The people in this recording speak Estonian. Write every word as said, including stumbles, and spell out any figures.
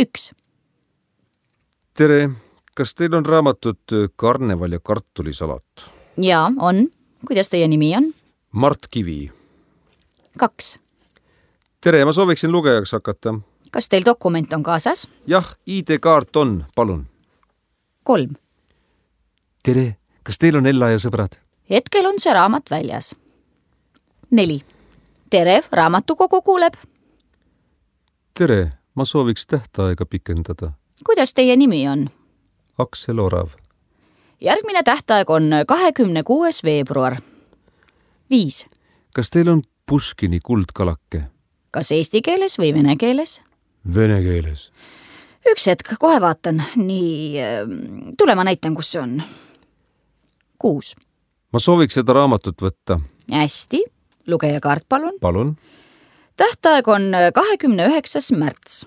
üks. Tere, kas teil on raamatut Karneval ja kartulisalat? Jaa, on. Kuidas teie nimi on? Mart Kivi. kaks. Tere, ma sooviksin lugejaks hakata. Kas teil dokument on kaasas? Jah, I D-kaart on, palun. kolm. Tere, kas teil on Ella ja sõbrad? Hetkel on see raamat väljas. neli. Tere, raamatukogu kuuleb. Tere, ma sooviks tähtaega pikendada. Kuidas teie nimi on? Aksel Orav. Järgmine tähtaeg on kahekümne kuues veebruar. viis. Kas teil on Puškini Kuldkalake? Kas eesti keeles või vene keeles? Vene keeles. Üks hetk, kohe vaatan. Nii, tule ma näitan, kus see on. kuus. Ma sooviks seda raamatut võtta. Hästi, lugejakaart palun. Palun. Tähtaeg on kahekümne üheksas märts.